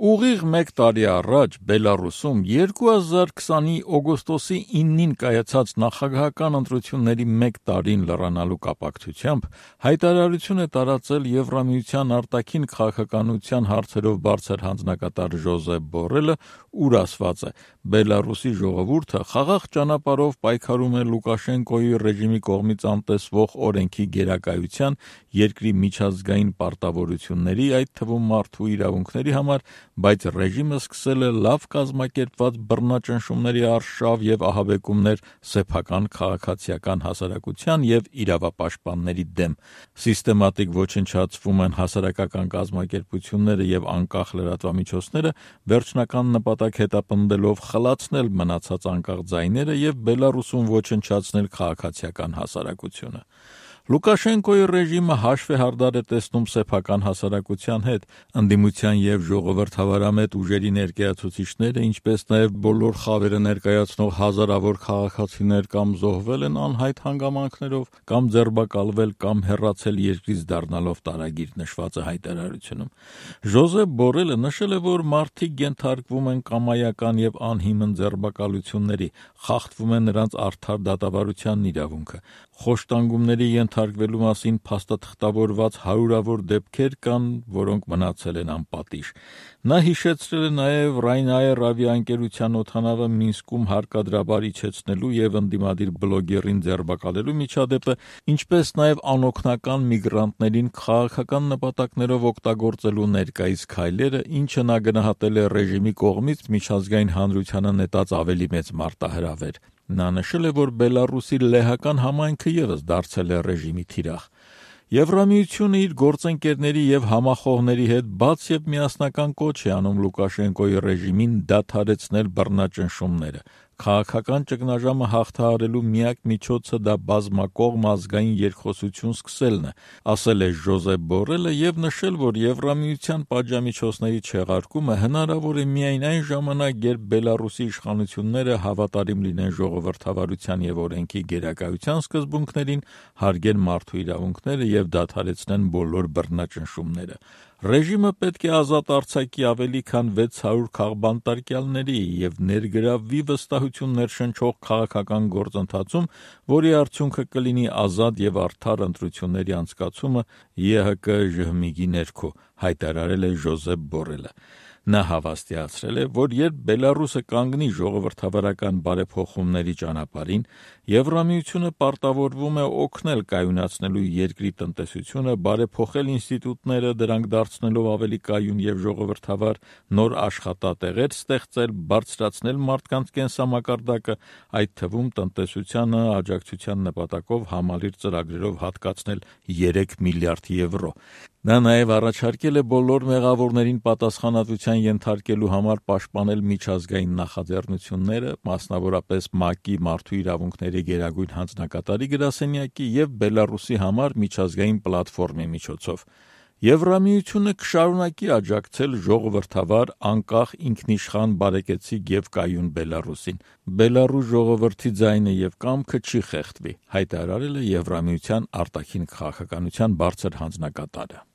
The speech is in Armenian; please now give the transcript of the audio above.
Ուղիղ մեկ տարի առաջ Բելարուսում 2020-ի օգոստոսի 9-ին կայացած նախագահական ընտրությունների մեկ տարին լրանալու կապակցությամբ հայտարարություն է տարածել Եվրամիության արտաքին քաղաքականության հարցերով բարձր հանձնակատար Ժոզեփ Բորելը, ուր ասված է. Բելարուսի ժողովուրդը խաղաղ ճանապարհով պայքարում է Լուկաշենկոյի ռեժիմի կողմից անտեսվող օրենքի գերակայության, երկրի միջազգային պարտավորությունների, այդ թվում մարդու իրավունքների համար, բայց ռեժիմը սկսել է լավ կազմակերպված բռնաճնշումների արշավ և ահաբեկումներ սեփական քաղաքացիական հասարակության և իրավապաշտպանների դեմ։ Սիստեմատիկ ոչնչացվում են հասարակական կազմակերպությունները և անկախ լրատվամիջոցները, վերջնական նպատակ հետապնդելով խլացնել մնացած անկախ ձայները և Բելարուսում ոչնչացնել քաղաքացիական հասարակությունը։ Լուկաշենկոյի ռեժիմը հաշվ է հարդար է տեսնում սեփական հասարակության հետ, ընդդիմության և ժողովրդավարամետ ուժերի ներկայացուցիչները, ինչպես նաև բոլոր խավերը ներկայացնող հազարավոր քաղաքացիներ կամ զոհվել են անհայտ հանգամանքներով, կամ ձերբակալվել, կամ հեռացել երկրից դառնալով տարագիր նշված է հայտարարությունում։ Ժոզեփ Բորելը նշել է, որ մարդիկ ենթարկվում են կամայական և անհիմն ձերբակալությունների, խախտվում է նրանց արդար դատավարության իրավունքը, խոշտանգումների ենթարկվելու մասին փաստաթղթավորված հարյուրավոր դեպքեր կան, որոնք մնացել են անպատիժ։ Նա հիշեցրել է նաև Ryanair ավիաընկերության օդանավը Մինսկում հարկադրաբար իջեցնելու և ընդդիմադիր բլոգերին ձերբակալելու միջադեպը, ինչպես նաև անօգնական միգրանտներին քաղաքական նպատակներով օգտագործելու ներկայիս քայլերը, ինչը նա գնահատել է ռեժիմի կողմից միջազգային հանրությանը նետած ավելի մեծ մարտահրավեր։ Նա նշել է, որ Բելարուսի լեհական համայնքը ևս դարձել է ռեժիմի թիրախ։ Եվրամիությունը իր գործընկերների և համախոհների հետ բաց և միասնական կոչ է անում Լուկաշենկոյի ռեժիմին դադարեցնել բռնաճնշումները։ Քաղաքական ճգնաժամը հաղթահարելու միակ միջոցը դա բազմակողմ ազգային երկխոսություն սկսելն է, ասել է Ժոզեփ Բորելը և նշել, որ Եվրամիության պատժամիջոցների չեղարկումը հնարավոր է միայն այն ժամանակ, երբ Բելարուսի իշխանությունները հավատարիմ լինեն ժողովրդավարության և օրենքի գերակայության սկզբունքներին, հարգեն մարդու իրավունքները և դադարեցնեն բոլոր բռնաճնշումները։ Ռեժիմը պետք է ազատ արձակի ավելի քան 600 քաղբանտարկյալների և ներգրավվի վստահություն ներշնչող քաղաքական գործընթացում, որի արդյունքը կլինի ազատ և արդար ընտրությունների անցկացումը ԵՀԿ ԺՀՄԻԳ-ի ներքո, հայտարարել է Ժոզեփ Բորելը։ Նա հավաստիացրել է, որ երբ Բելարուսը կանգնի ժողովրդավարական բարեփոխումների ճանապարհին, Եվրամիությունը պարտավորվում է օգնել կայունացնելու երկրի տնտեսությունը, բարեփոխել ինստիտուտները, դրանք դարձնելով ավելի կայուն և ժողովրդավար, նոր աշխատատեղեր ստեղծել, բարձրացնել մարդկանց կենսամակարդակը, այդ թվում տնտեսությանը աջակցության նպատակով համալիր ծրագրերով հատկացնել 3 միլիարդ եվրո։ Նա նաև առաջարկել է բոլոր մեղավորներին պատասխանատվության ենթարկելու համար պաշտպանել միջազգային նախաձեռնությունները, մասնավորապես ՄԱԿ-ի Մարդու իրավունքների գերագույն հանձնակատարի գրասենյակի և Բելարուսի համար միջազգային պլատֆորմի միջոցով։ Եվրամիությունը կշարունակի աջակցել ժողովրդավար, անկախ, ինքնիշխան, բարեկեցիկ և կայուն Բելարուսին։ Բելարուս ժողովրդի ձայնը և կամքը չի խեղդվի, հայտարարել է Եվրամիության արտաքին քաղաքականության բարձր հանձնակատարը։